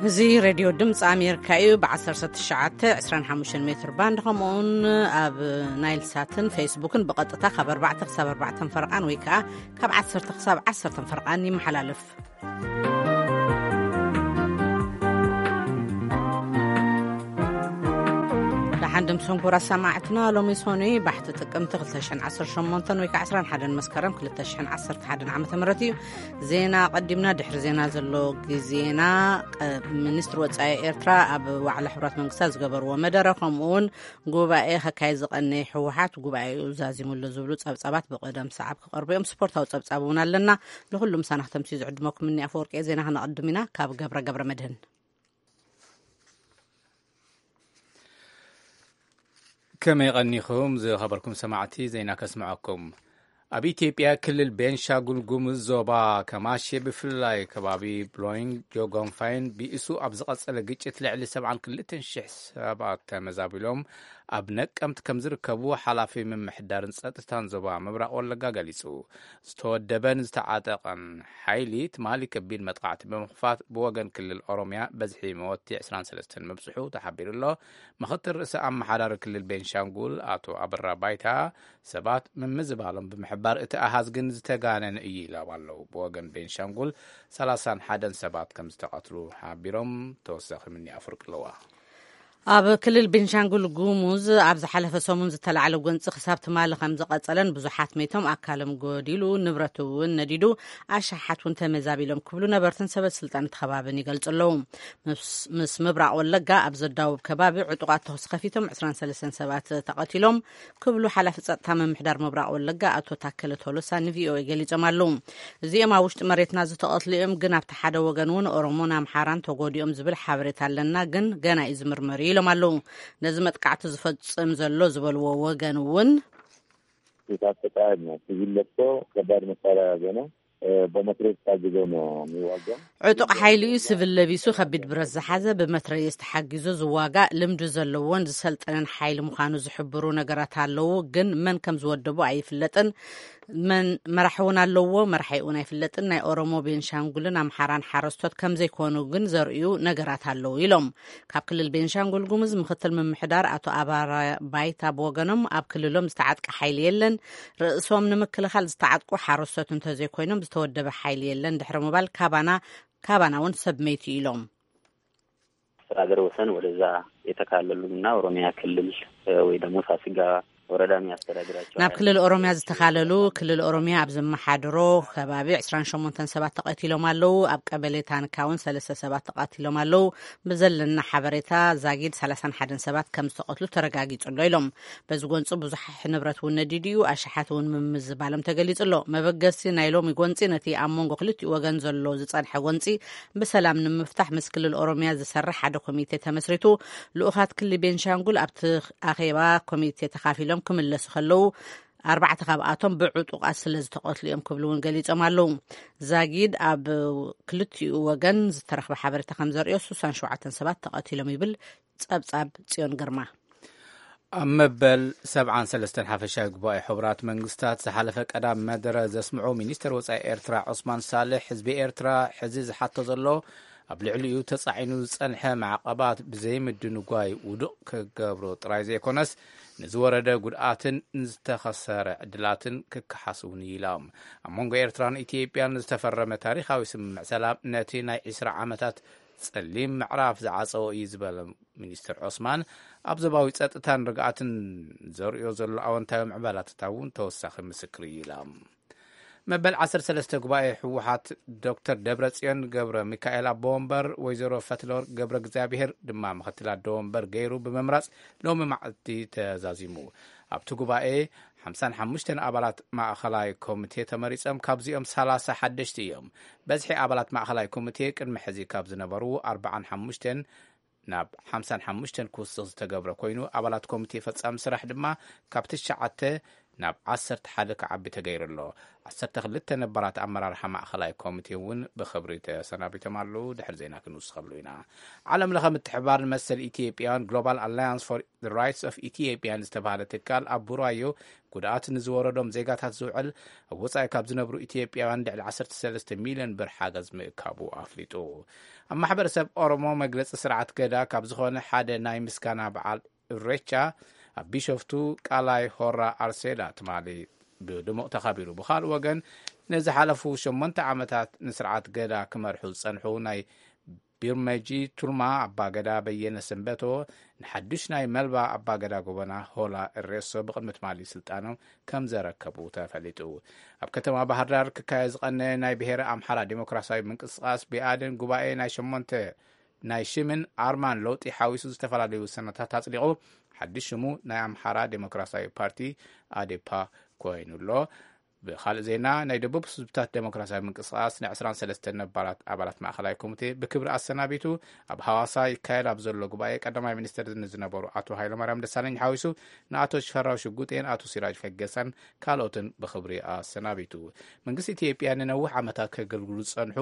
እዚ ሬድዮ ድምፂ ኣሜሪካ እዩ። ብ19፣ 25 ሜትር ባንድ፣ ከምኡውን ኣብ ናይል ሳትን ፌስቡክን ብቐጥታ ካብ ኣርባዕተ ክሳብ ኣርባዕተ ፈረቓን ወይ ከዓ ካብ ዓሰርተ ክሳብ ዓሰርተ ፈረቓን ይመሓላለፍ። ደሓን ድም ሰንኮር ኣሰማዕትና፣ ሎሚ ሰኑይ ባሕቲ ጥቅምቲ ክልተ ሽሕን ዓሰርተ ሸሞንተን ወይ ከዓ ዕስራን ሓደን መስከረም ክልተ ሽሕን ዓሰርተ ሓደን ዓመተ ምህረት እዩ። ዜና ቀዲምና፣ ድሕሪ ዜና ዘሎ ግዜና፣ ቀ-፣ ሚኒስትሪ ወጻኢ ኤርትራ ኣብ ዋዕላ ሕቡራት መንግስታት ዝገበርዎ መደረ፣ ከምኡ እውን ጉባኤ ከካየድ ዝቐነየ ህወሓት ጉባኤኡ ዛዚሙሉ ዝብሉ ጸብጻባት ብቐደም ሰዓብ ክቐርቡ እዮም። ስፖርታዊ ጸብጻብ እውን ኣለና። ንኹሉ ምሳና ክተምስዩ ዝዕድመኩም እኒ ኣፈወርቂ እየ። ዜና ክነቐድም ኢና። ካብ ገብረ ገብረ መድህን። ከመይ ቀኒኹም ዝኸበርኩም ሰማዕቲ፣ ዜና ከስምዐኩም። ኣብ ኢትዮጵያ ክልል ቤንሻጉል ጉሙዝ ዞባ ከማሼ ብፍላይ ከባቢ ብሎይንግ ጆጎንፋይን ብኢሱ ኣብ ዝቐጸለ ግጭት ልዕሊ ሰብዓን ክልተን ሽሕ ሰባት ተመዛቢሎም ኣብ ነቀምት ከም ዝርከቡ ሓላፊ ምምሕዳርን ጸጥታን ዞባ ምብራቕ ወለጋ ገሊጹ። ዝተወደበን ዝተዓጠቐን ሓይሊ ትማሊ ከቢድ መጥቃዕቲ ብምኽፋት ብወገን ክልል ኦሮሚያ በዝሒ መወቲ ዕስራን ሰለስተን ምብጽሑ ተሓቢሩ ኣሎ። ምኽትል ርእሰ ኣመሓዳሪ ክልል ቤንሻንጉል ኣቶ ኣበራ ባይታ ሰባት ምምዝባሎም ብምሕባር እቲ ኣሃዝ ግን ዝተጋነነ እዩ ኢሎም ኣለዉ። ብወገን ቤንሻንጉል ሰላሳን ሓደን ሰባት ከም ዝተቐትሉ ሓቢሮም። ተወሳኺ ምኒ ኣፍርቂ ኣለዋ። ኣብ ክልል ቤንሻንጉል ጉሙዝ ኣብ ዝሓለፈ ሰሙን ዝተላዕለ ጎንፂ ክሳብ ትማሊ ከም ዝቐጸለን ብዙሓት መይቶም ኣካሎም ጎዲሉ ንብረት እውን ነዲዱ ኣሻሓት እውን ተመዛቢሎም ክብሉ ነበርትን ሰበ ስልጣን እቲ ከባብን ይገልጹ ኣለዉ። ምስ፣ ምስ ምብራቕ ወለጋ ኣብ ዘዳውብ ከባቢ ዕጡቓት ተኹሲ ከፊቶም ዕስራን ሰለስተን ሰባት ተቐቲሎም ክብሉ ሓላፊ ጸጥታ ምምሕዳር ምብራቕ ወለጋ ኣቶ ታከለ ቶሎሳ ንቪኦኤ ገሊጾም ኣለዉ። እዚኦም ኣብ ውሽጢ መሬትና ዝተቐትሉ እዮም፣ ግን ኣብቲ ሓደ ወገን እውን ኦሮሞን ኣምሓራን ተጎዲኦም ዝብል ሓበሬታ ኣለና፣ ግን ገና እዩ ዝምርመር እዩ ኢሎም ኣለዉ። ነዚ መጥቃዕቲ ዝፈጽም ዘሎ ዝበልዎ ወገን እውን የታጠቀ ኃይል ነው። ሲቪል ለብሶ ከባድ መሳሪያ የያዘ ነው። እ፣ በመትረየስ ታግዞ ነው የሚዋጋው። ዕጡቕ ሓይሊ እዩ። ሲቪል ለቢሱ ከቢድ ብረት ዝሓዘ ብመትረየስ ተሓጊዙ ዝዋጋእ ልምዲ ዘለዎን ዝሰልጠነን ሓይሊ ምዃኑ ዝሕብሩ ነገራት ኣለዉ፣ ግን መን ከም ዝወደቡ ኣይፍለጥን። መን መራሒ እውን ኣለዎ፣ መራሒ እውን ኣይፍለጥን። ናይ ኦሮሞ፣ ቤንሻንጉልን ኣምሓራን ሓረስቶት ከም ዘይኮኑ ግን ዘርእዩ ነገራት ኣለዉ ኢሎም። ካብ ክልል ቤንሻንጉል ጉሙዝ ምኽትል ምምሕዳር ኣቶ ኣባራ ባይታ ብወገኖም ኣብ ክልሎም ዝተዓጥቀ ሓይሊ የለን። ርእሶም ንምክልኻል ዝተዓጥቁ ሓረስቶት እንተዘይኮይኖም ዝተወደበ ሓይሊ የለን ድሕሪ ምባል ካባና፣ ካባና እውን ሰብ መይቲ ኢሎም። አስተዳደር ወሰን ወደዛ የተካለሉና ኦሮሚያ ክልል፣ እ፣ ወይ ደግሞ ሳስጋ ወረዳ የሚያስተዳድራቸው ናብ ክልል ኦሮሚያ ዝተኻለሉ፣ ክልል ኦሮሚያ ኣብ ዘመሓድሮ ከባቢ ዕስራን ሸሞንተን ሰባት ተቐቲሎም ኣለዉ። ኣብ ቀበሌ ታንካ እውን ሰለስተ ሰባት ተቐቲሎም ኣለዉ። ብዘለና ሓበሬታ ዛጊድ ሰላሳን ሓደን ሰባት ከም ዝተቐትሉ ተረጋጊጹ ኣሎ ኢሎም። በዚ ጎንፂ ብዙሕ ንብረት እውን ነዲዱ እዩ፣ ኣሽሓት እውን ምምዝባሎም ተገሊጹ ኣሎ። መበገሲ ናይ ሎሚ ጎንፂ ነቲ ኣብ መንጎ ክልቲኡ ወገን ዘሎ ዝጸንሐ ጎንፂ ብሰላም ንምፍታሕ ምስ ክልል ኦሮሚያ ዝሰርሕ ሓደ ኮሚቴ ተመስሪቱ፣ ልኡኻት ክልል ቤንሻንጉል ኣብቲ ኣኼባ ኮሚቴ ተኻፊሎም ክምለሱ ከለዉ፣ ኣርባዕተ ካብኣቶም ብዕጡቓት ስለ ዝተቐትሉ እዮም ክብሉ እውን ገሊጾም ኣለዉ። ዛጊድ ኣብ ክልቲኡ ወገን ዝተረኽበ ሓበሬታ ከም ዘርእዮ፣ ስሳን ሸውዓተን ሰባት ተቐቲሎም ይብል ጸብጻብ ጽዮን ግርማ። ኣብ መበል ሰብዓን ሰለስተን ሓፈሻዊ ጉባኤ ሕቡራት መንግስታት ዝሓለፈ ቀዳም መደረ ዘስምዑ ሚኒስተር ወጻኢ ኤርትራ ዑስማን ሳልሕ፣ ህዝቢ ኤርትራ ሕዚ ዝሓቶ ዘሎ ኣብ ልዕሊኡ ተጻዒኑ ዝጸንሐ ማዕቐባት ብዘይምድንጓይ ውዱቕ ክገብሮ ጥራይ ዘይኮነስ፣ ንዝወረደ ጉድኣትን ንዝተኸሰረ ዕድላትን ክከሓስ እውን ኢሎም። ኣብ መንጎ ኤርትራን ኢትዮጵያን ዝተፈረመ ታሪኻዊ ስምምዕ ሰላም ነቲ ናይ ዕስራ ዓመታት ጸሊም ምዕራፍ ዝዓጸወ እዩ ዝበለ ሚኒስትር ዑስማን፣ ኣብ ዞባዊ ጸጥታን ርግኣትን ዘርእዮ ዘሎ ኣወንታዊ ምዕባላታት እውን ተወሳኺ ምስክር እዩ ኢሎም። መበል ዓሰርተ ሰለስተ ጉባኤ ህወሓት ዶክተር ደብረጽዮን ገብረ ሚካኤል ኣቦ ወንበር፣ ወይዘሮ ፈትለወርቅ ገብረ እግዚኣብሔር ድማ ምኽትል ኣቦ ወንበር ገይሩ ብምምራጽ ሎሚ መዓልቲ ተዛዚሙ። ኣብቲ ጉባኤ ሓምሳን ሓሙሽተን ኣባላት ማእኸላይ ኮሚቴ ተመሪጾም፣ ካብዚኦም ሰላሳ ሓደሽቲ እዮም። በዝሒ ኣባላት ማእኸላይ ኮሚቴ ቅድሚ ሕዚ ካብ ዝነበሩ ኣርባዓን ሓሙሽተን ናብ ሓምሳን ሓሙሽተን ክውስኽ ዝተገብረ ኮይኑ፣ ኣባላት ኮሚቴ ፈጻሚ ስራሕ ድማ ካብ ትሽዓተ ናብ ዓሰርተ ሓደ ክዓቢ ተገይሩ ኣሎ። ዓሰርተ ክልተ ነባራት ኣመራርሓ ማእኸላይ ኮሚቴ እውን ብኽብሪ ተሰናቢቶም ኣለዉ። ድሕሪ ዜና ክንውስኸሉ ኢና። ዓለም ለኸ ምትሕብባር ንመሰል ኢትዮጵያውያን፣ ግሎባል ኣላያንስ ፎር ራይትስ ኦፍ ኢትዮጵያን ዝተባህለ ትካል፣ ኣብ ቡራዮ ጉድኣት ንዝወረዶም ዜጋታት ዝውዕል፣ ኣብ ወጻኢ ካብ ዝነብሩ ኢትዮጵያውያን ልዕሊ ዓሰርተ ሰለስተ ሚልዮን ብር ሓገዝ ምእካቡ ኣፍሊጡ። ኣብ ማሕበረሰብ ኦሮሞ መግለጺ ስርዓት ገዳ ካብ ዝኾነ ሓደ ናይ ምስጋና በዓል እሬቻ ኣብ ቢሾፍቱ ቃላይ ሆራ ኣርሴዳ ትማሊ ብድሙቕ ተኻቢሩ። ብኻልእ ወገን፣ ንዝሓለፉ ሸሞንተ ዓመታት ንስርዓት ገዳ ክመርሑ ዝጸንሑ ናይ ቢርመጂ ቱልማ ኣባገዳ በየነ ሰንበቶ ንሓዱሽ ናይ መልባ ኣባገዳ ጎበና ሆላ እሬሶ ብቕድሚ ትማሊ ስልጣኖም ከም ዘረከቡ ተፈሊጡ። ኣብ ከተማ ባህር ዳር ክካየድ ዝቐነ ናይ ብሔረ ኣምሓራ ዴሞክራሲያዊ ምንቅስቃስ ብኣዴን ጉባኤ ናይ ሸሞንተ ናይ ሽምን ኣርማን ለውጢ ሓዊሱ ዝተፈላለዩ ውሳነታት ኣጽዲቑ። ሓድሽ ሽሙ ናይ ኣምሓራ ዴሞክራሲያዊ ፓርቲ፣ ኣዴፓ፣ ኮይኑ ኣሎ። ብኻልእ ዜና፣ ናይ ደቡብ ህዝብታት ዴሞክራሲያዊ ምንቅስቃስ ን ዕስራን ሰለስተን ነባራት ኣባላት ማእኸላይ ኮሚቴ ብክብሪ ኣሰናቢቱ። ኣብ ሃዋሳ ይካየድ ኣብ ዘሎ ጉባኤ ቀዳማይ ሚኒስትር ንዝነበሩ ኣቶ ሃይለማርያም ደሳለኝ ሓዊሱ ንኣቶ ሽፈራው ሽጉጤን ኣቶ ሲራጅ ፈገሳን ካልኦትን ብኽብሪ ኣሰናቢቱ። መንግስቲ ኢትዮጵያ ንነዊሕ ዓመታት ከገልግሉ ዝጸንሑ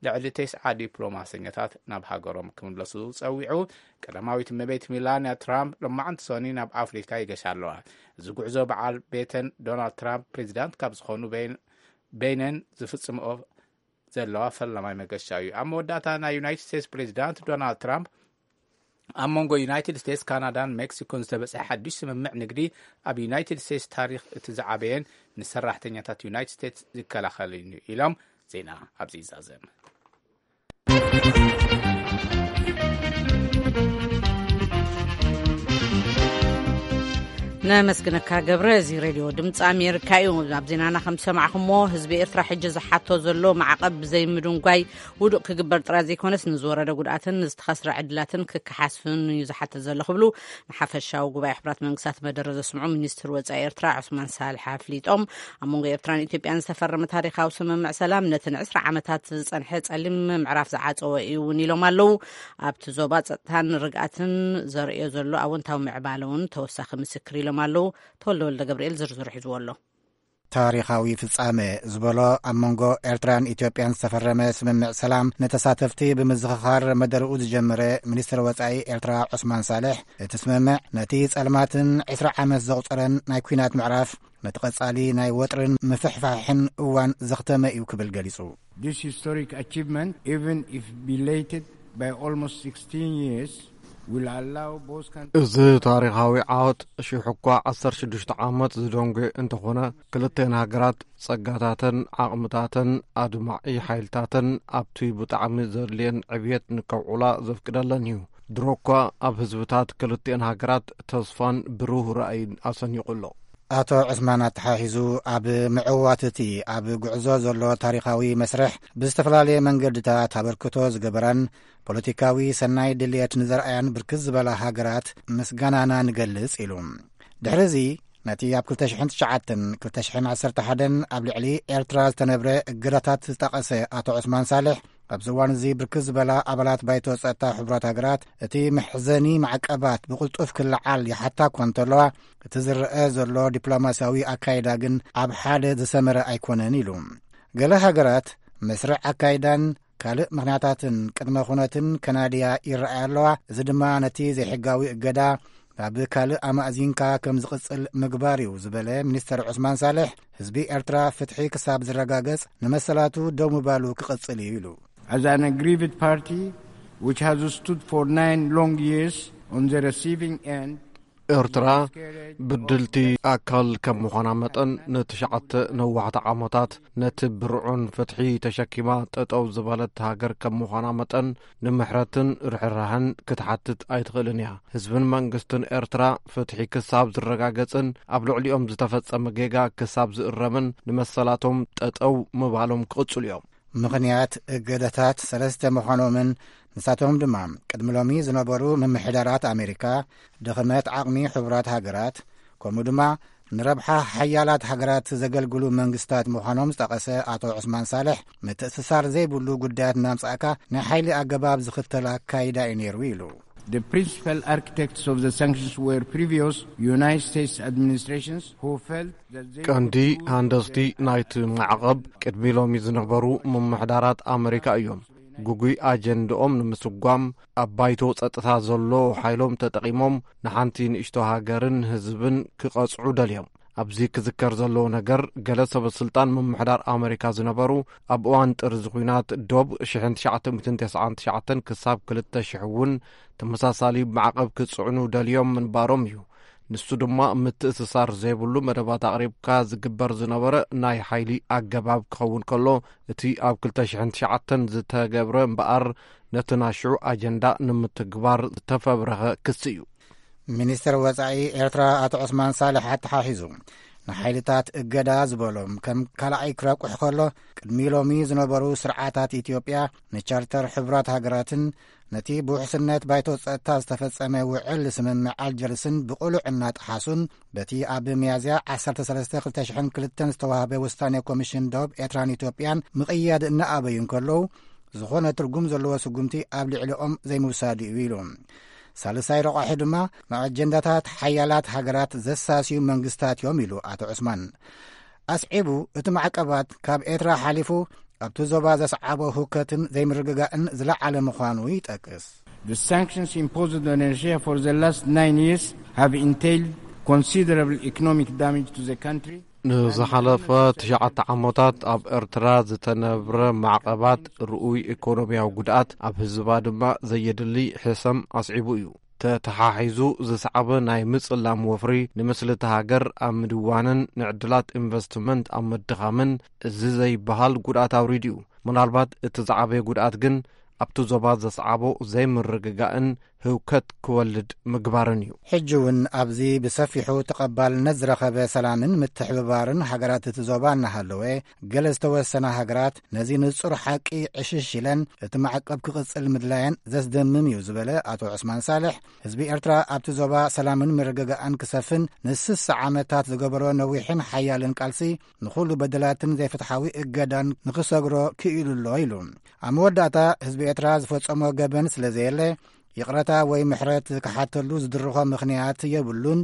ልዕሊ ተስዓ ዲፕሎማሰኛታት ናብ ሃገሮም ክምለሱ ጸዊዑ። ቀዳማዊት እመቤት ሚላንያ ትራምፕ ሎማዕንቲ ሰኒ ናብ ኣፍሪካ ይገሻ ኣለዋ። እዚ ጉዕዞ በዓል ቤተን ዶናልድ ትራምፕ ፕሬዚዳንት ካብ ዝኾኑ በይን-፣ በይነን ዝፍጽምኦ ዘለዋ ፈላማይ መገሻ እዩ። ኣብ መወዳእታ፣ ናይ ዩናይትድ ስቴትስ ፕሬዚዳንት ዶናልድ ትራምፕ ኣብ መንጎ ዩናይትድ ስቴትስ፣ ካናዳን ሜክሲኮን ዝተበጽሐ ሓድሽ ስምምዕ ንግዲ ኣብ ዩናይትድ ስቴትስ ታሪኽ እቲ ዝዓበየን ንሰራሕተኛታት ዩናይትድ ስቴትስ ዝከላኸልን እዩ ኢሎም። ዜና ኣብዚ ይዛዘም። ነመስግነካ ገብረ። እዚ ሬድዮ ድምፂ ኣሜሪካ እዩ። ኣብ ዜናና ከም ዝሰማዕኹሞ፣ ህዝቢ ኤርትራ ሕጂ ዝሓቶ ዘሎ ማዕቐብ ብዘይምድንጓይ ውዱቕ ክግበር ጥራይ ዘይኮነስ፣ ንዝወረደ ጉድኣትን ንዝተኸስረ ዕድላትን ክከሓስን እዩ ዝሓትት ዘሎ ክብሉ ንሓፈሻዊ ጉባኤ ሕቡራት መንግስታት መደረ ዘስምዑ ሚኒስትር ወጻኢ ኤርትራ ዑስማን ሳልሕ ኣፍሊጦም። ኣብ መንጎ ኤርትራን ኢትዮጵያን ዝተፈረመ ታሪኻዊ ስምምዕ ሰላም፣ ነቲ ንዕስራ ዓመታት ዝጸንሐ ጸሊም ምዕራፍ ዝዓጸወ እዩ እውን ኢሎም ኣለዉ። ኣብቲ ዞባ ጸጥታን ርግኣትን ዘርእዮ ዘሎ ኣወንታዊ ምዕባለ እውን ተወሳኺ ምስክር ኢሎም ኣለዉ። ተወልደ ወልደ ገብርኤል ዝርዝሩ ሒዝዎ ኣሎ። ታሪኻዊ ፍጻመ ዝበሎ ኣብ መንጎ ኤርትራን ኢትዮጵያን ዝተፈረመ ስምምዕ ሰላም ንተሳተፍቲ ብምዝኽኻር መደርኡ ዝጀመረ ሚኒስትር ወጻኢ ኤርትራ ዑስማን ሳልሕ፣ እቲ ስምምዕ ነቲ ጸልማትን ዕስራ ዓመት ዘቑጸረን ናይ ኲናት ምዕራፍ፣ ነቲ ቀጻሊ ናይ ወጥርን ምፍሕፋሕን እዋን ዘኽተመ እዩ ክብል ገሊጹ። This historic achievement, even if belated by almost sixteen years, will allow both countries እዚ ታሪኻዊ ዓወት፣ ሽሕ እኳ ዓሰርተ ሽዱሽተ ዓመት ዝደንጎ እንተኾነ፣ ክልተን ሃገራት ጸጋታተን ዓቕምታተን ኣድማዒ ሓይልታተን ኣብቲ ብጣዕሚ ዘድልየን ዕብየት ንከውዕላ ዘፍቅደለን እዩ። ድሮ እኳ ኣብ ህዝብታት ክልተን ሃገራት ተስፋን ብሩህ ራእይን ኣሰኒቑ ኣሎ። ኣቶ ዑስማን ኣተሓሒዙ፣ ኣብ ምዕዋትቲ ኣብ ጉዕዞ ዘሎ ታሪኻዊ መስርሕ ብዝተፈላለየ መንገድታት ኣበርክቶ ዝገበራን ፖለቲካዊ ሰናይ ድልየት ንዘርኣያን ብርክት ዝበላ ሃገራት ምስጋናና ንገልጽ ኢሉ። ድሕሪ እዚ ነቲ ኣብ ክልተ ሽሕን ትሽዓተን ክልተ ሽሕን ዓሰርተ ሓደን ኣብ ልዕሊ ኤርትራ ዝተነብረ እገዳታት ዝጠቐሰ ኣቶ ዑስማን ሳልሕ፣ ኣብዚ እዋን እዚ ብርክት ዝበላ ኣባላት ባይቶ ጸጥታ ሕቡራት ሃገራት እቲ መሕዘኒ ማዕቀባት ብቕልጡፍ ክለዓል ይሓታ እኳ እንተለዋ፣ እቲ ዝረአ ዘሎ ዲፕሎማስያዊ ኣካይዳ ግን ኣብ ሓደ ዝሰመረ ኣይኮነን ኢሉ። ገለ ሃገራት መስርዕ ኣካይዳን ካልእ ምኽንያታትን ቅድመ ኩነትን ከናድያ ይረኣያ ኣለዋ። እዚ ድማ ነቲ ዘይሕጋዊ እገዳ ናብ ካልእ ኣማእዚንካ ከም ዝቕጽል ምግባር እዩ ዝበለ ሚኒስተር ዑስማን ሳልሕ፣ ህዝቢ ኤርትራ ፍትሒ ክሳብ ዝረጋገጽ ንመሰላቱ ደው ምባሉ ክቕጽል እዩ ኢሉ። As an aggrieved party which has stood for nine long years on the receiving end, ኤርትራ ብድልቲ ኣካል ከም ምዃና መጠን፣ ንትሽዓተ ነዋሕቲ ዓመታት ነቲ ብርዑን ፍትሒ ተሸኪማ ጠጠው ዝበለት ሃገር ከም ምዃና መጠን፣ ንምሕረትን ርሕራሕን ክትሓትት ኣይትኽእልን እያ። ህዝብን መንግስትን ኤርትራ ፍትሒ ክሳብ ዝረጋገጽን ኣብ ልዕሊኦም ዝተፈጸመ ጌጋ ክሳብ ዝእረምን ንመሰላቶም ጠጠው ምባሎም ክቕጽሉ እዮም። ምኽንያት እገዳታት ሰለስተ ምዃኖምን ንሳቶም ድማ ቅድሚ ሎሚ ዝነበሩ ምምሕዳራት ኣሜሪካ፣ ድኽመት ዓቕሚ ሕቡራት ሃገራት፣ ከምኡ ድማ ንረብሓ ሓያላት ሃገራት ዘገልግሉ መንግስታት ምዃኖም ዝጠቐሰ ኣቶ ዑስማን ሳልሕ፣ ምትእስሳር ዘይብሉ ጉዳያት እናምጻእካ ናይ ሓይሊ ኣገባብ ዝኽተል ኣካይዳ እዩ ነይሩ ኢሉ። The principal architects of the sanctions were previous United States administrations who felt that they ቀንዲ ሃንደስቲ ናይቲ ማዕቐብ ቅድሚ ሎሚ ዝነበሩ ምምሕዳራት ኣመሪካ እዮም። ግጉይ ኣጀንድኦም ንምስጓም ኣብ ባይቶ ጸጥታ ዘሎ ሓይሎም ተጠቒሞም ንሓንቲ ንእሽቶ ሃገርን ህዝብን ክቐጽዑ ደልዮም። ኣብዚ ክዝከር ዘለዎ ነገር፣ ገለ ሰበ ስልጣን ምምሕዳር ኣመሪካ ዝነበሩ፣ ኣብ እዋን ጥርዚ ኲናት ዶብ ሽሕን ትሽዓተ ሚእትን ተስዓን ትሽዓተን ክሳብ ክልተ ሽሕ እውን ተመሳሳሊ ማዕቐብ ክጽዕኑ ደልዮም ምንባሮም እዩ። ንሱ ድማ ምትእስሳር ዘይብሉ መደባት ኣቕሪብካ ዝግበር ዝነበረ ናይ ሓይሊ ኣገባብ ክኸውን ከሎ፣ እቲ ኣብ ክልተ ሽሕን ትሽዓተን ዝተገብረ እምበኣር ነቲ ናይ ሽዑ ኣጀንዳ ንምትግባር ዝተፈብረኸ ክሲ እዩ። ሚኒስትር ወጻኢ ኤርትራ ኣቶ ዑስማን ሳልሕ ኣተሓሒዙ፣ ንሓይልታት እገዳ ዝበሎም ከም ካልኣይ ክረቁሕ ከሎ፣ ቅድሚ ሎሚ ዝነበሩ ስርዓታት ኢትዮጵያ ንቻርተር ሕቡራት ሃገራትን ነቲ ብውሕስነት ባይቶ ጸጥታ ዝተፈጸመ ውዕል ስምምዕ ኣልጀርስን ብቕሉዕ እናጠሓሱን፣ በቲ ኣብ ሚያዝያ ዓሰርተ ሰለስተ ክልተ ሽሕን ክልተን ዝተዋህበ ውሳኔ ኮሚሽን ዶብ ኤርትራን ኢትዮጵያን ምቕያድ እናኣበዩ እንከለዉ፣ ዝኾነ ትርጉም ዘለዎ ስጉምቲ ኣብ ልዕሊኦም ዘይምውሳዱ እዩ ኢሉ። ሳልሳይ ረቋሒ ድማ ንኣጀንዳታት ሓያላት ሃገራት ዘሳስዩ መንግስታት እዮም ኢሉ ኣቶ ዑስማን። ኣስዒቡ፣ እቲ ማዕቀባት ካብ ኤርትራ ሓሊፉ ኣብቲ ዞባ ዘስዓቦ ህውከትን ዘይምርግጋእን ዝለዓለ ምዃኑ ይጠቅስ። The sanctions imposed on Eritrea for the last nine years have entailed considerable economic damage to the country. ንዝሓለፈ ትሽዓተ ዓመታት ኣብ ኤርትራ ዝተነብረ ማዕቐባት ርኡይ ኢኮኖሚያዊ ጉድኣት፣ ኣብ ህዝባ ድማ ዘየድሊ ሕሰም ኣስዒቡ እዩ። ተተሓሒዙ ዝሰዓበ ናይ ምጽላም ወፍሪ፣ ንምስሊ እታ ሃገር ኣብ ምድዋንን ንዕድላት ኢንቨስትመንት ኣብ ምድኻምን እዚ ዘይበሃል ጉድኣት ኣውሪዱ እዩ። ምናልባት እቲ ዝዓበየ ጉድኣት ግን ኣብቲ ዞባ ዘስዓቦ ዘይምርግጋእን ህውከት ክወልድ ምግባርን እዩ። ሕጂ እውን ኣብዚ ብሰፊሑ ተቐባልነት ዝረኸበ ሰላምን ምትሕብባርን ሃገራት እቲ ዞባ እናሃለወ፣ ገለ ዝተወሰና ሃገራት ነዚ ንጹር ሓቂ ዕሽሽ ኢለን እቲ ማዕቀብ ክቕጽል ምድላየን ዘስደምም እዩ ዝበለ ኣቶ ዑስማን ሳልሕ፣ ህዝቢ ኤርትራ ኣብቲ ዞባ ሰላምን ምርግጋእን ክሰፍን ንስሳ ዓመታት ዝገበሮ ነዊሕን ሓያልን ቃልሲ፣ ንኹሉ በደላትን ዘይፍትሓዊ እገዳን ንኽሰግሮ ክኢሉ ኣሎ ኢሉ። ኣብ መወዳእታ፣ ህዝቢ ኤርትራ ዝፈጸሞ ገበን ስለ ዘየለ፣ ይቕረታ ወይ ምሕረት ክሓተሉ ዝድርኾ ምኽንያት የብሉን።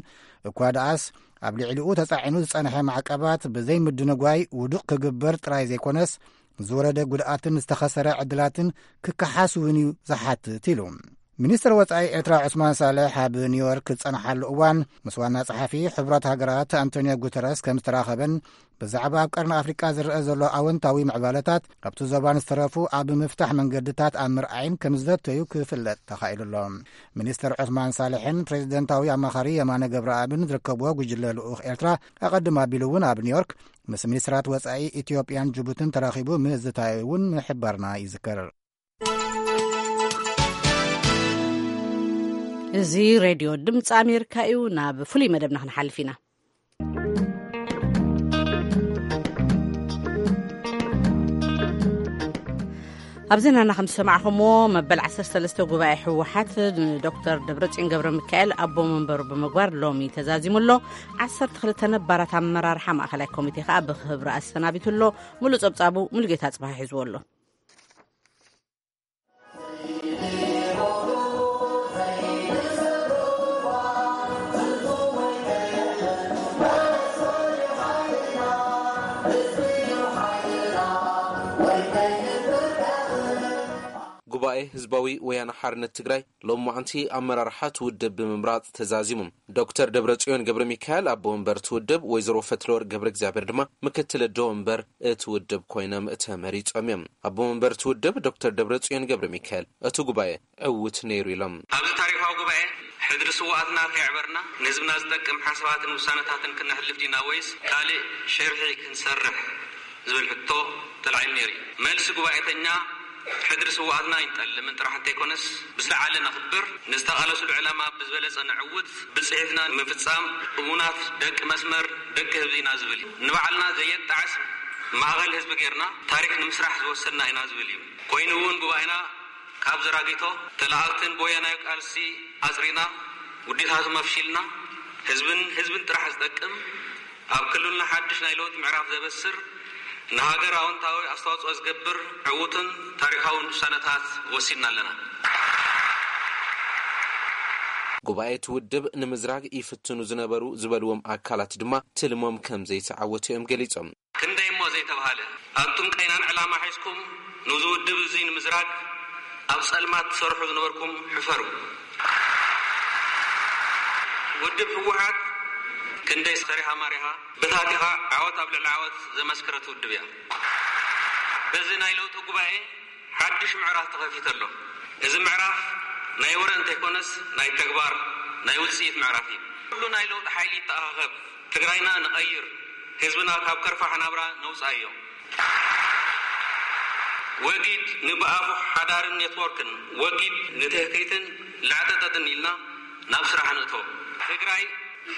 እኳ ደኣስ፣ ኣብ ልዕሊኡ ተጻዒኑ ዝጸንሐ ማዕቀባት ብዘይምድንጓይ ውዱቕ ክግበር ጥራይ ዘይኮነስ፣ ዝወረደ ጉድኣትን ዝተኸሰረ ዕድላትን ክከሓስ እውን እዩ ዝሓትት ኢሉ። ሚኒስትር ወጻኢ ኤርትራ ዑስማን ሳልሕ ኣብ ኒውዮርክ ዝጸንሓሉ እዋን፣ ምስ ዋና ጸሓፊ ሕቡራት ሃገራት ኣንቶኒዮ ጉተረስ ከም ዝተራኸበን፣ ብዛዕባ ኣብ ቀርኒ ኣፍሪቃ ዝረአ ዘሎ ኣወንታዊ ምዕባለታት፣ ኣብቲ ዞባን ዝተረፉ ኣብ ምፍታሕ መንገድታት ኣብ ምርኣይን ከም ዝዘተዩ ክፍለጥ ተኻኢሉ ኣሎ። ሚኒስትር ዑስማን ሳልሕን ፕሬዚደንታዊ ኣማኻሪ የማነ ገብረኣብን ዝርከብዎ ጉጅለ ልኡኽ ኤርትራ፣ ኣቐድም ኣቢሉ እውን ኣብ ኒውዮርክ ምስ ሚኒስትራት ወጻኢ ኢትዮጵያን ጅቡትን ተራኺቡ ምዝታዩ እውን ምሕባርና ይዝከር። እዚ ሬድዮ ድምፂ ኣሜሪካ እዩ። ናብ ፍሉይ መደብና ክንሓልፍ ኢና። ኣብ ዜናና ከም ዝሰማዕኹምዎ፣ መበል ዓሰርተ ሰለስተ ጉባኤ ህወሓት ንዶክተር ደብረጽዮን ገብረ ሚካኤል ኣቦ መንበሩ ብምግባር ሎሚ ተዛዚሙ ኣሎ። ዓሰርተ ክልተ ነባራት ኣመራርሓ ማእኸላይ ኮሚቴ ከኣ ብኽብሪ ኣሰናቢቱ ኣሎ። ሙሉእ ጸብጻቡ ሙሉጌታ ጽባሕ ሒዝዎ ኣሎ። ጉባኤ ህዝባዊ ወያነ ሓርነት ትግራይ ሎማዕንቲ ኣመራርሓ እቲ ውድብ ብምምራፅ ተዛዚሙ። ዶክተር ደብረፅዮን ገብረ ሚካኤል ኣቦ ወንበር እቲ ውድብ፣ ወይዘሮ ፈትለወርቅ ገብረ እግዚኣብሔር ድማ ምክትል ኣቦ ወንበር እቲ ውድብ ኮይኖም ተመሪፆም እዮም። ኣቦ ወንበር እቲ ውድብ ዶክተር ደብረፅዮን ገብረ ሚካኤል እቲ ጉባኤ ዕውት ነይሩ ኢሎም። ኣብዚ ታሪኻዊ ጉባኤ ሕድሪ ስውኣትና ከየዕበርና ንህዝብና ዝጠቅም ሓሳባትን ውሳነታትን ክነሕልፍ ዲና ወይስ ካልእ ሸርሒ ክንሰርሕ ዝብል ሕቶ ተላዒሉ ነይሩ እዩ። መልሲ ጉባኤተኛ ሕድሪ ስውኣትና ኣይንጠልምን ጥራሕ እንተይኮነስ፣ ብዝለዓለ ነኽብር፣ ንዝተቓለሱሉ ዕላማ ብዝበለጸ ነዕውት፣ ብጽሒትና ንምፍጻም እሙናት ደቂ መስመር፣ ደቂ ህዝቢ ኢና ዝብል እዩ። ንባዕልና ዘየጣዕስ ማእኸል ህዝቢ ጌርና ታሪኽ ንምስራሕ ዝወሰንና ኢና ዝብል እዩ። ኮይኑ እውን ጉባኤና ካብ ዘራጊቶ ተላኣክትን ብወያናዊ ቃልሲ ኣጽሪና፣ ውዲታቱ መፍሺልና፣ ህዝብን ህዝብን ጥራሕ ዝጠቅም፣ ኣብ ክልልና ሓድሽ ናይ ለውጢ ምዕራፍ ዘበስር፣ ንሃገር ኣወንታዊ ኣስተዋጽኦ ዝገብር ዕዉትን ታሪኻውን ውሳነታት ወሲድና ኣለና። ጉባኤ እቲ ውድብ ንምዝራግ ይፍትኑ ዝነበሩ ዝበልዎም ኣካላት ድማ ትልሞም ከም ዘይተዓወቱ እዮም ገሊጾም። ክንደይ እሞ ዘይተባህለ፣ ኣቱም ቀይናን ዕላማ ሒዝኩም ንዚ ውድብ እዚ ንምዝራግ ኣብ ጸልማት ትሰርሑ ዝነበርኩም ሕፈሩ። ውድብ ህወሓት ክንደይ ሰሪሃ ማሪሃ በታቲኻ ዓወት ኣብ ልዕሊ ዓወት ዘመስከረት ውድብ እያ። በዚ ናይ ለውጢ ጉባኤ ሓድሽ ምዕራፍ ተኸፊተ ኣሎ። እዚ ምዕራፍ ናይ ወረ እንተይኮነስ ናይ ተግባር፣ ናይ ውፅኢት ምዕራፍ እዩ። ኩሉ ናይ ለውጢ ሓይሊ ይተኣኻኸብ። ትግራይና ንቐይር፣ ህዝብና ካብ ከርፋሕ ናብራ ነውፃዮ። ወጊድ ንብኣፉ ሓዳርን ኔትወርክን፣ ወጊድ ንትህክይትን ላዕጠጠጥን ኢልና ናብ ስራሕ ንእቶ። ትግራይ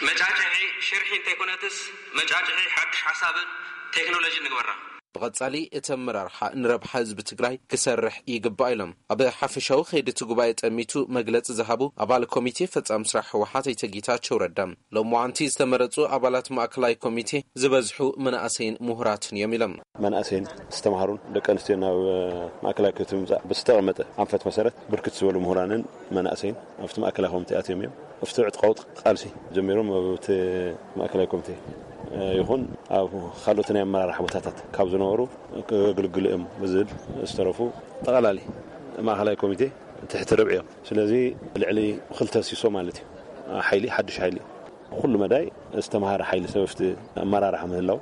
መጫጭሒ ሽርሒ እንተይኮነትስ መጫጭሒ ሓድሽ ሓሳብን ቴክኖሎጂ ንግበራ። ብቐጻሊ እቲ ኣመራርሓ ንረብሓ ህዝቢ ትግራይ ክሰርሕ ይግባእ ኢሎም። ኣብ ሓፈሻዊ ከይዲ እቲ ጉባኤ ጠሚቱ መግለጺ ዝሃቡ ኣባል ኮሚቴ ፈጻሚ ስራሕ ህወሓት ኣይተ ጌታቸው ረዳ፣ ሎማዓንቲ ዝተመረጹ ኣባላት ማእከላይ ኮሚቴ ዝበዝሑ መናእሰይን ምሁራትን እዮም ኢሎም። መናእሰይን ዝተምሃሩን ደቂ ኣንስትዮ ናብ ማእከላይ ኮሚቴ ምምጻእ ብዝተቐመጠ ኣንፈት መሰረት ብርክት ዝበሉ ምሁራንን መናእሰይን ኣብቲ ማእከላይ ኮሚቴ ኣትዮም እዮም። ኣብቲ ዕጥቃዊ ቃልሲ ጀሚሮም ኣብቲ ማእከላይ ኮሚቴ ይኹን ኣብ ካልኦት ናይ ኣመራርሓ ቦታታት ካብ ዝነበሩ ከገልግሉ እዮም ብዝብል ዝተረፉ ጠቓላሊ ማእከላይ ኮሚቴ ትሕቲ ርብዒ እዮም። ስለዚ ልዕሊ ክልተ ሲሶ ማለት እዩ። ሓይሊ፣ ሓድሽ ሓይሊ፣ ኩሉ መዳይ ዝተምሃረ ሓይሊ ሰብ ኣብቲ ኣመራርሓ ምህላው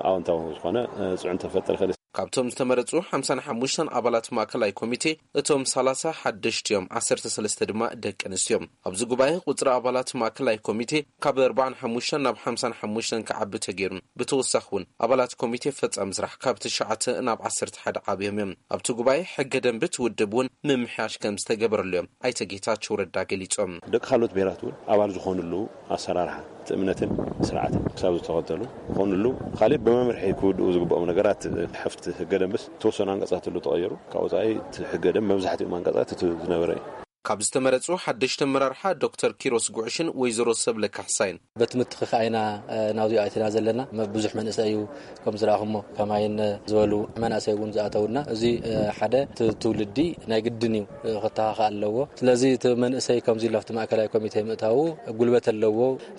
ኣወንታዊ ዝኾነ ጽዕንቶ ክፈጥር ይኽእል። ካብቶም ዝተመረጹ ሓምሳን ሓሙሽተን ኣባላት ማእከላይ ኮሚቴ፣ እቶም ሰላሳ ሓደሽቲ እዮም፣ ዓሰርተ ሰለስተ ድማ ደቂ ኣንስትዮ እዮም። ኣብዚ ጉባኤ ቁጽሪ ኣባላት ማእከላይ ኮሚቴ ካብ ኣርባዓን ሓሙሽተን ናብ ሓምሳን ሓሙሽተን ክዓቢ ተገይሩ። ብተወሳኺ እውን ኣባላት ኮሚቴ ፈጻሚ ስራሕ ካብ ትሽዓተ ናብ ዓሰርተ ሓደ ዓብዮም እዮም። ኣብቲ ጉባኤ ሕገ ደንቢ እቲ ውድብ እውን ምምሕያሽ ከም ዝተገበረሉ እዮም ኣይተ ጌታቸው ረዳ ገሊጾም። ደቂ ካልኦት ብሄራት እውን ኣባል ዝኾኑሉ ኣሰራርሓ እቲ እምነትን ስርዓትን ክሳብ ዝተኸተሉ ዝኾኑሉ፣ ካሊእ ብመምርሒ ክውድኡ ዝግብኦም ነገራት፣ ሓፍቲ ህገ ደንብስ ተወሰኑ ኣንቀጻት ኣሎ ተቐየሩ። ካብ ወጻኢ እቲ ህገ ደንብ መብዛሕትኦም ኣንቀጻት እቲ ዝነበረ እዩ። ካብ ዝተመረጹ ሓደሽቲ ኣመራርሓ ዶክተር ኪሮስ ጉዕሽን ወይዘሮ ሰብለ ካሕሳይን። በቲ ምትኽኻእ ኢና፣ እ፣ ናብዚኣ ኣቲና ዘለና። መ-፣ ብዙሕ መንእሰይ እዩ ከም ዝረኣኹሞ፣ ከማይን ዝበሉ መናእሰይ እውን ዝኣተውና። እዚ፣ እ፣ ሓደ ት-፣ ትውልዲ ናይ ግድን እዩ፣ እ፣ ክተኻኻእ ኣለዎ። ስለዚ እቲ መንእሰይ ከምዚ ኢሉ ኣብቲ ማእከላይ ኮሚቴ ምእታዉ ጉልበት ኣለዎ።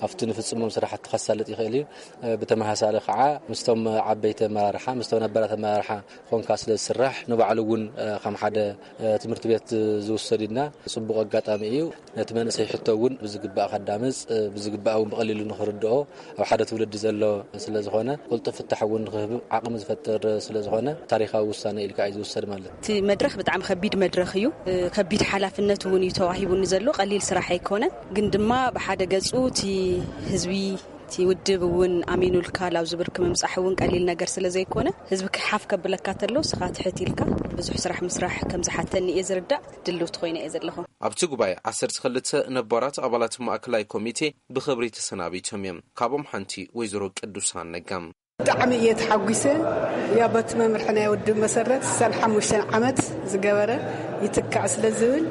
ኣብቲ ንፍጽሞም ስራሕቲ ከሳልጥ ይኽእል እዩ። እ፣ ብተመሳሳሊ ከዓ ምስቶም ዓበይቲ ኣመራርሓ፣ ምስቶም ነባራት ኣመራርሓ ኮንካ ስለ ዝስራሕ ንባዕሉ እውን፣ እ፣ ከም ሓደ፣ እ፣ ትምህርቲ ቤት ዝውሰድ ኢልና ጽቡቕ ኣጋጣሚ እዩ። ነቲ መንእሰይ ሕቶ እውን ብዝግባእ ከዳምጽ፣ እ፣ ብዝግባእ እውን ብቐሊሉ ንኽርድኦ ኣብ ሓደ ትውልዲ ዘሎ ስለ ዝኾነ ቅልጡፍ ፍታሕ እውን ንኽህብ ዓቕሚ ዝፈጥር ስለ ዝኾነ ታሪኻዊ ውሳነ ኢልካ እዩ ዝውሰድ ማለት እዩ። እቲ መድረኽ ብጣዕሚ ከቢድ መድረኽ እዩ። እ፣ ከቢድ ሓላፍነት እውን እዩ ተዋሂቡኒ ዘሎ። ቀሊል ስራሕ ኣይኮነን። ግን ድማ ብሓደ ገጹ እቲ ህዝቢ እቲ ውድብ እውን ኣሚኑልካ ላብ ዝብርክ ምምጻሕ እውን ቀሊል ነገር ስለ ዘይኮነ፣ ህዝቢ ክሓፍ ከብለካ ተሎ፣ ስኻ ትሕት ኢልካ ብዙሕ ስራሕ ምስራሕ ከም ዝሓተኒ እየ ዝርዳእ። ድልውቲ ኮይነ እየ ዘለኹ። ኣብቲ ጉባኤ ዓሰርተ ክልተ ነባራት ኣባላት ማእከላይ ኮሚቴ ብኽብሪ ተሰናቢቶም እዮም። ካብኦም ሓንቲ ወይዘሮ ቅዱሳን ነጋ። ብጣዕሚ እየ ተሓጒሰ። ያው በቲ መምርሒ ናይ ውድብ መሰረት ስሳን ሓሙሽተን ዓመት ዝገበረ ይትካእ ስለ ዝብል፣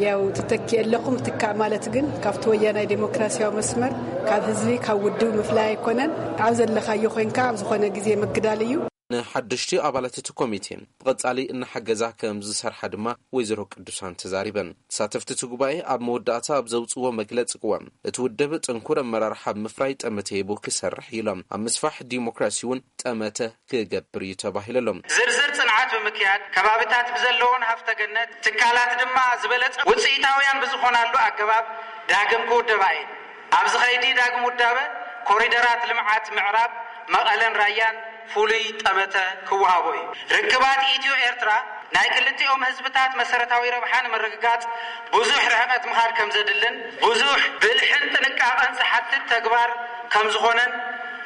ያው ትተኪ ኣለኹም። ትካእ ማለት ግን ካብቲ ወያናይ ዴሞክራሲያዊ መስመር፣ ካብ ህዝቢ፣ ካብ ውድብ ምፍላይ ኣይኮነን። ኣብ ዘለኻዮ ኮይንካ ኣብ ዝኾነ ግዜ ምግዳል እዩ። ንሓደሽቲ ኣባላት እቲ ኮሚቴ ብቐጻሊ እናሓገዛ ከም ዝሰርሓ ድማ ወይዘሮ ቅዱሳን ተዛሪበን። ተሳተፍቲ እቲ ጉባኤ ኣብ መወዳእታ ኣብ ዘውጽዎ መግለጺ ቅዋም፣ እቲ ውድብ ጥንኩር ኣመራርሓ ኣብ ምፍራይ ጠመተ ሂቡ ክሰርሕ እዩ ኢሎም። ኣብ ምስፋሕ ዲሞክራሲ እውን ጠመተ ክገብር እዩ ተባሂሉ ኣሎ። ዝርዝር ጽንዓት ብምክያድ፣ ከባብታት ብዘለዎን ሃፍተ ገነት፣ ትካላት ድማ ዝበለጸ ውጽኢታውያን ብዝኾናሉ ኣገባብ ዳግም ክውደባ እየን። ኣብዚ ኸይዲ ዳግም ውዳበ ኮሪደራት ልምዓት ምዕራብ መቐለን ራያን ፍሉይ ጠመተ ክወሃቦ እዩ። ርክባት ኢትዮ ኤርትራ ናይ ክልቲኦም ህዝብታት መሰረታዊ ረብሓ ንምርግጋጽ ብዙሕ ርሕቀት ምኻድ ከም ዘድልን ብዙሕ ብልሕን ጥንቃቐን ዝሓትት ተግባር ከም ዝኾነን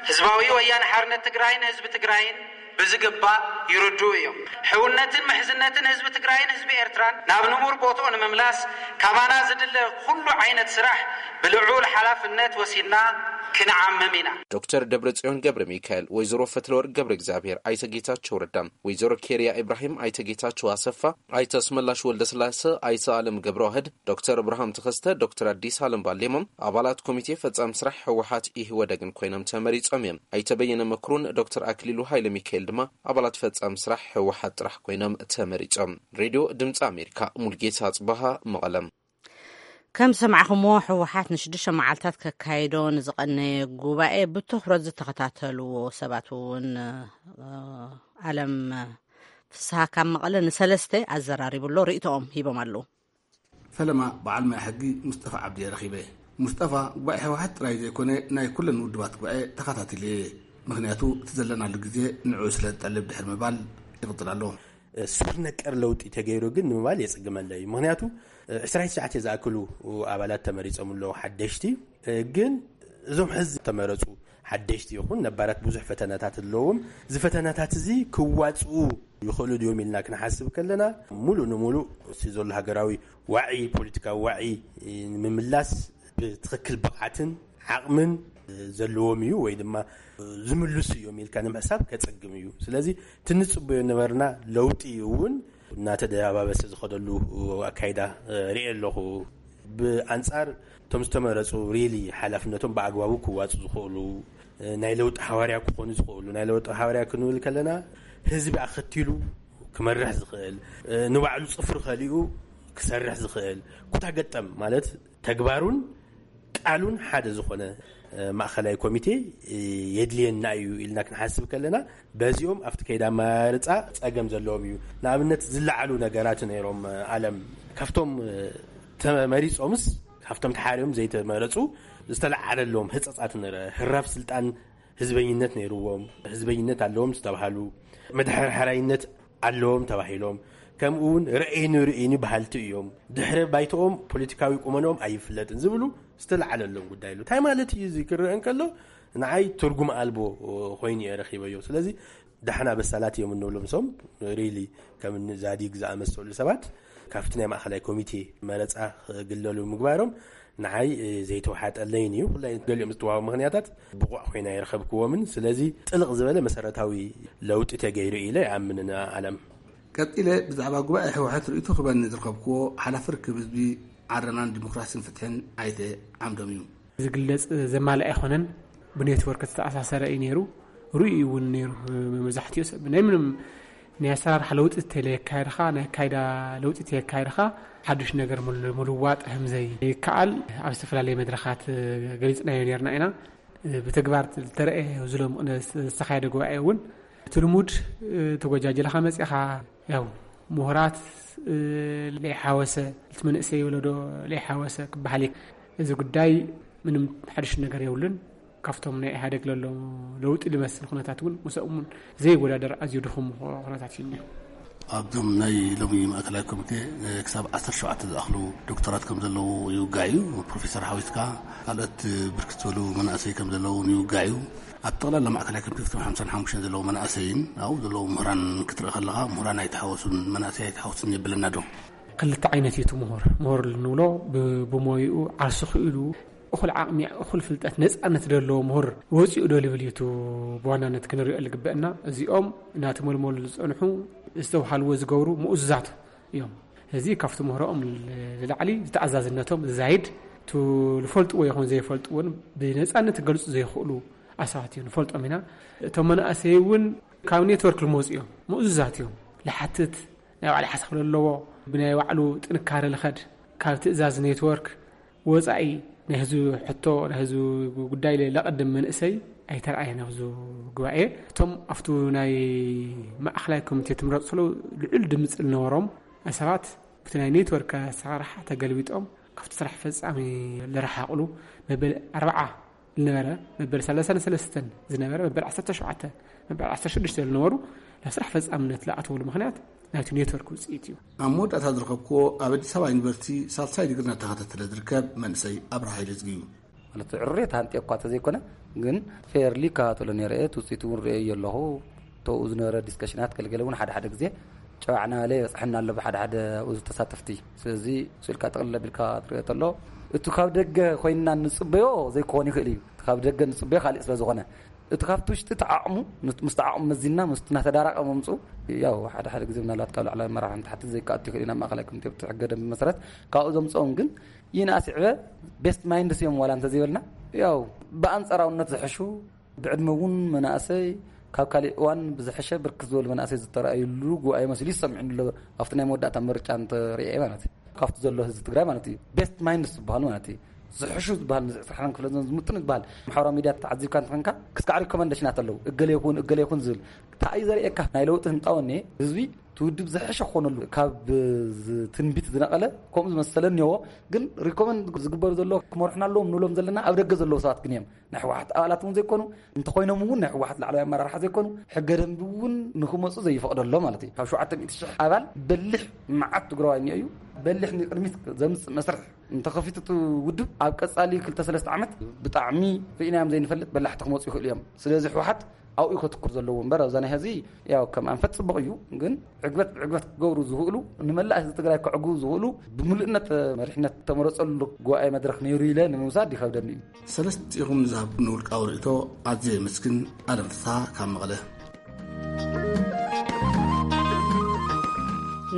ህዝባዊ ወያነ ሓርነት ትግራይን ህዝቢ ትግራይን ብዝግባእ ይርድኡ እዮም። ሕውነትን ምሕዝነትን ህዝቢ ትግራይን ህዝቢ ኤርትራን ናብ ንቡር ቦትኡ ንምምላስ ካባና ዝድለ ኩሉ ዓይነት ስራሕ ብልዑል ሓላፍነት ወሲድና ክንዓምም ኢና። ዶክተር ደብረጽዮን ገብረ ሚካኤል፣ ወይዘሮ ፈትለወርቅ ገብረ እግዚኣብሔር፣ ኣይተ ጌታቸው ረዳ፣ ወይዘሮ ኬርያ ኢብራሂም፣ ኣይተ ጌታቸው ኣሰፋ፣ ኣይተ ኣስመላሽ ወልደስላሰ፣ ኣይተ ኣለም ገብረዋህድ፣ ዶክተር እብርሃም ተኸስተ፣ ዶክተር ኣዲስ ኣለም ባሌሞ ኣባላት ኮሚቴ ፈጻሚ ስራሕ ህወሓት ኢህወደግን ኮይኖም ተመሪጾም እዮም። ኣይተ በየነ መክሩን ዶክተር ኣክሊሉ ሃይለ ሚካኤል ድማ ኣባላት ፈጻሚ ስራሕ ህወሓት ጥራሕ ኮይኖም ተመሪጾም። ሬድዮ ድምፂ ኣሜሪካ፣ ሙልጌታ ጽባሃ፣ መቐለም። ከም ዝሰማዕኹምዎ፣ ህወሓት ንሽዱሽተ መዓልታት ከካይዶ ንዝቐነየ ጉባኤ ብትኹረት ዝተኸታተልዎ ሰባት እውን፣ እ፣ ኣለም ፍስሃ ካብ መቐለ ንሰለስተ ኣዘራሪቡ ኣሎ። ርእይቶኦም ሂቦም ኣለዉ። ፈለማ በዓል ሞያ ሕጊ ሙስጠፋ ዓብዲ እየ ረኺበ። ሙስጠፋ ጉባኤ ህወሓት ጥራይ ዘይኮነ ናይ ኩለን ውድባት ጉባኤ ተኸታቲለ እየ። ምኽንያቱ እቲ ዘለናሉ ግዜ ንዕኡ ስለ ዝጠልብ ድሕሪ ምባል ይቕጽል ኣሎ። ስር ነቀር ለውጢ ተገይሩ ግን ንምባል የጽግመለይ። ምኽንያቱ ዕስራ ትሽዓተ ዝኣክሉ ኣባላት ተመሪጾም ኣለዉ ሓደሽቲ። ግን እዞም ሕዚ ተመረጹ ሓደሽቲ ይኹን ነባራት ብዙሕ ፈተናታት ኣለዎም። እዚ ፈተናታት እዚ ክዋጽኡ ይኽእሉ ድዮም ኢልና ክንሓስብ ከለና፣ ሙሉእ ንሙሉእ እቲ ዘሎ ሃገራዊ ዋዒ፣ ፖለቲካዊ ዋዒ ንምምላስ ብትኽክል ብቕዓትን ዓቕምን ዘለዎም እዩ ወይ ድማ ዝምልሱ እዮም ኢልካ ንምሕሳብ ከጸግም እዩ። ስለዚ እቲ ንጽበዮ ነበርና ለውጢ እውን እናተደባበሰ ዝኸደሉ ኣካይዳ ርእየ ኣለኹ። ብኣንጻር እቶም ዝተመረጹ ሪሊ ሓላፍነቶም ብኣግባቡ ክዋጹ ዝኽእሉ፣ ናይ ለውጢ ሓዋርያ ክኾኑ ዝኽእሉ፣ ናይ ለውጢ ሓዋርያ ክንብል ከለና ህዝቢ ኣኸቲሉ ክመርሕ ዝኽእል፣ ንባዕሉ ጽፍሪ ከሊኡ ክሰርሕ ዝኽእል፣ ኩታ ገጠም ማለት ተግባሩን ቃሉን ሓደ ዝኾነ ማእኸላይ ኮሚቴ የድልየና እዩ ኢልና ክንሓስብ ከለና፣ በዚኦም ኣብቲ ከይዳ ኣመራርጻ ጸገም ዘለዎም እዩ። ንኣብነት ዝለዓሉ ነገራት ነይሮም፣ ኣለም ካብቶም ተመሪጾምስ ካብቶም ተሓሪዮም ዘይተመረጹ ዝተለዓለሎም ህጸጻት ነረ። ህራፍ ስልጣን ህዝበኝነት ነይርዎም፣ ህዝበኝነት ኣለዎም ዝተባሃሉ፣ መድሓርሓራይነት ኣለዎም ተባሂሎም፣ ከምኡ እውን ርእይኒ ርእይኒ በሃልቲ እዮም፣ ድሕረ ባይተኦም ፖለቲካዊ ቁመንኦም ኣይፍለጥን ዝብሉ ዝተለዓለሎም ጉዳይ ኣሎ። እንታይ ማለት እዩ እዚ ክረአ እንከሎ ንዓይ ትርጉም ኣልቦ ኮይኑ እየ ረኺበዮ። ስለዚ ዳሕና በሳላት እዮም እንብሎም ሶም ሪሊ ከም እኒ ዛዲግ ዝኣመሰሉ ሰባት ካብቲ ናይ ማእኸላይ ኮሚቴ መረፃ ክግለሉ ምግባሮም ንዓይ ዘይተዋሓጠለይን እዩ። ኩላይ ገሊኦም ዝተዋሃቡ ምኽንያታት ብቑዕ ኮይና ይረኸብክዎምን። ስለዚ ጥልቕ ዝበለ መሰረታዊ ለውጢ ተገይሩ ኢለ ይኣምን። ኣለም ቀጺለ ብዛዕባ ጉባኤ ህወሓት ርእይቶ ክበኒ ዝረኸብክዎ ሓላፊ ርክብ ህዝቢ ዓረናን ዲሞክራሲን ፍትሕን ኣይተ ዓምዶም እዩ። ዝግለጽ ዘማልእ ኣይኮነን። ብኔትወርክ ዝተኣሳሰረ እዩ ነይሩ። ርእዩ እውን ነይሩ። መብዛሕትኡ ሰብ ናይ ምንም ናይ ኣሰራርሓ ለውጢ እንተለየካየድኻ፣ ናይ ኣካይዳ ለውጢ እንተየካየድኻ፣ ሓድሽ ነገር ምል-፣ ምልዋጥ ህምዘይ ይከኣል ኣብ ዝተፈላለየ መድረኻት ገሊጽናዮ ነይርና ኢና። ብተግባር ዝተረእየ ዝሎም ዝተኻየደ ጉባኤ እውን እቲ ልሙድ ተጎጃጀልኻ መጺኻ፣ ያው ምሁራት ለይሓወሰ፣ እቲ መንእሰይ ወለዶ ለይሓወሰ ክበሃል እዩ። እዚ ጉዳይ ምንም ሓድሽ ነገር የብሉን። ካብቶም ናይ ኢህኣደግ ለሎ ለውጢ ዝመስል ኩነታት እውን ምስኦም እውን ዘይወዳደር ኣዝዩ ድኹም ኩነታት እዩ እኒኦ። ኣብዞም ናይ ሎሚ ማእከላይ ኮሚቴ ክሳብ ዓሰርተ ሸውዓተ ዝኣኽሉ ዶክተራት ከም ዘለዉ ይውጋዕ እዩ። ፕሮፌሰር ሓዊትካ ካልኦት ብርክት ዝበሉ መናእሰይ ከም ዘለዉ እውን ይውጋዕ እዩ። ኣብ ጠቕላላ ማእከላይ ኮሚቴ ፍትሒ ሓምሳን ሓሙሽተን ዘለዉ መናእሰይን ኣብኡ ዘለዉ ምሁራን ክትርኢ ከለኻ ምሁራን ኣይተሓወሱን፣ መናእሰይ ኣይተሓወሱን የብለና ዶ? ክልተ ዓይነት እዩ እቲ ምሁር። ምሁር እንብሎ ብ-፣ ብሞይኡ ዓርሱ ክኢሉ እኹል ዓቕሚ፣ እኹል ፍልጠት፣ ነጻነት ደለዎ ምሁር ወጺኡ ዶ ልብል እዩ እቲ ብዋናነት ክንሪኦ ዝግበአና። እዚኦም እናተመልመሉ ዝጸንሑ ዝተውሃልዎ ዝገብሩ ምኡዙዛት እዮም። እዚ ካብቲ ምህሮኦም ንላዕሊ ዝተኣዛዝነቶም ዝዛይድ፣ እቲ ዝፈልጥዎ ይኹን ዘይፈልጥዎን ብነጻነት ክገልጹ ዘይኽእሉ ኣሳባት እዮም። ንፈልጦም ኢና። እቶም መናእሰይ እውን ካብ ኔትወርክ ልመጹ እዮም። ምኡዙዛት እዮም። ልሓትት ናይ ባዕሉ ሓሳብ ለለዎ፣ ብናይ ባዕሉ ጥንካረ ልኸድ፣ ካብ ትእዛዝ ኔትወርክ ወጻኢ ናይ ህዝቢ ሕቶ፣ ናይ ህዝቢ ጉዳይ ለቐድም መንእሰይ ኣይተረኣየን ኣብዚ ጉባኤ። እቶም ኣብቱ ናይ ማእኸላይ ኮሚቴ ትምረጹ ዘለዉ ልዑል ድምፂ ዝነበሮም ሰባት፣ ብቲ ናይ ኔትወርክ ኣሰራርሓ ተገልቢጦም ካብቲ ስራሕ ፈጻሚ ዝረሓቕሉ፣ መበል ኣርብዓ ዝነበረ፣ መበል ሰላሳን ሰለስተን ዝነበረ፣ መበል ዓሰርተ ሸውዓተ፣ መበል ዓሰርተ ሽዱሽተ ዝነበሩ ናብ ስራሕ ፈጻምነት ዝኣተውሉ ምኽንያት ናይቲ ኔትወርክ ውፅኢት እዩ። ኣብ መወዳእታ ዝረኸብክዎ ኣብ ኣዲስ ኣበባ ዩኒቨርሲቲ ሳልሳይ ዲግሪ እናተኸታተለ ዝርከብ መንእሰይ ኣብርሃ ሃይለዝጊ እዩ። ማለት ዕሩር እየ ተሃንጥየ እኳ ተዘይኮነ፣ ግን ፌርሊ እከታተሎ ነይረ እየ። እቲ ውፅኢት እውን ርእየዮ ኣለኹ። ተኡ ዝነበረ ዲስከሽናት ገለገለ እውን ሓደ ሓደ ግዜ ጨዋዕና በለ ይበፅሐና ኣሎ ብሓደ ሓደ ኣብኡ ተሳተፍቲ። ስለዚ ስእልካ ጥቕልል ኣቢልካ ትርእዮ ተሎ፣ እቲ ካብ ደገ ኮይንና ንፅበዮ ዘይክኾን ይኽእል እዩ። እቲ ካብ ደገ ንፅበዮ ካሊእ ስለ ዝኾነ፣ እቲ ካብቲ ውሽጢ ተዓቕሙ፣ ምስ ተዓቕሙ መዚንና፣ ምስ እናተዳራቐ መምፅኡ፣ ያው ሓደ ሓደ ግዜ ምናልባት ካብ ላዕለዋይ ኣመራርሓ ንታሕቲ ዘይከኣቱ ይኽእል እዩ፣ ናብ ማእኸላይ ኮሚቴ ብቲ ሕገ ደንቢ መሰረት ካብኡ ዘምፅኦም ግን ይንኣስ ይዕበ ቤስት ማይንድስ እዮም ዋላ እንተዘይበልና፣ ያው ብኣንፃራውነት ዝሕሹ፣ ብዕድመ እውን መናእሰይ፣ ካብ ካሊእ እዋን ብዝሐሸ ብርክት ዝበሉ መናእሰይ ዝተረኣዩሉ ጉባኤ መሲሉ ይሰምዕኒ ኣሎ፣ ኣብቲ ናይ መወዳእታ ምርጫ እንተርእየ ማለት እዩ። ካብቲ ዘሎ ህዝቢ ትግራይ ማለት እዩ። ቤስት ማይንድስ ዝበሃሉ ማለት እዩ። ዝሕሹ ዝበሃል ንዚ ዕስራ ሓደን ክፍለ ዘመን ዝምጥኑ ዝበሃል ማሕበራዊ ሚድያ ተዓዚብካ እንተኾንካ፣ ክስካዕ ሪኮመንዴሽናት ኣለዉ። እገሌ ይኹን፣ እገሌ ይኹን ዝብል። እንታይ እዩ ዘርእየካ? ናይ ለውጢ ህንጣወ እኒኤ፣ ህዝቢ እቲ ውድብ ዝሕሸ ክኾነሉ ካብ ዝ-፣ ትንቢት ዝነቐለ ከምኡ ዝመሰለ እኒኦ። ግን ሪኮመንድ ዝግበሩ ዘለዉ ክመርሑና ኣለዎም ንብሎም ዘለና ኣብ ደገ ዘለዉ ሰባት ግን እዮም። ናይ ህወሓት ኣባላት እውን ዘይኮኑ፣ እንተኾይኖም እውን ናይ ህወሓት ላዕለዋይ ኣመራርሓ ዘይኮኑ፣ ሕገ ደንቢ እውን ንክመፁ ዘይፈቕደሎ ማለት እዩ። ካብ ሸውዓተ ሚእቲ ሽሕ ኣባል በሊሕ መዓት ትግራዋይ እኒኦ እዩ። በሊሕ ንቅድሚት ዘምፅእ መስርሕ እንተኸፊቱ እቲ ውድብ ኣብ ቀፃሊ ክልተ ሰለስተ ዓመት ብጣዕሚ ርኢናዮም ዘይንፈልጥ በላሕቲ ክመፁ ይኽእሉ እዮም። ስለዚ ህወሓት ኣብኡ ከተኩር ዘለዎ እምበር ኣብዛ ናይ ሕዚ ያው ከም ኣንፈት ፅቡቕ እዩ፣ ግን ዕግበት ብዕግበት ክገብሩ ዝኽእሉ፣ ንመላእ ህዝቢ ትግራይ ከዕግቡ ዝኽእሉ ብምሉእነት መሪሕነት ተመረፀሉ ጉባኤ መድረኽ ነይሩ ኢለ ንምውሳድ ይኸብደኒ እዩ። ሰለስቲኹም ንዝሃብኩም ውልቃዊ ርእይቶ ኣዝየ የመስግን። ኣለም ፍስሓ ካብ መቐለ።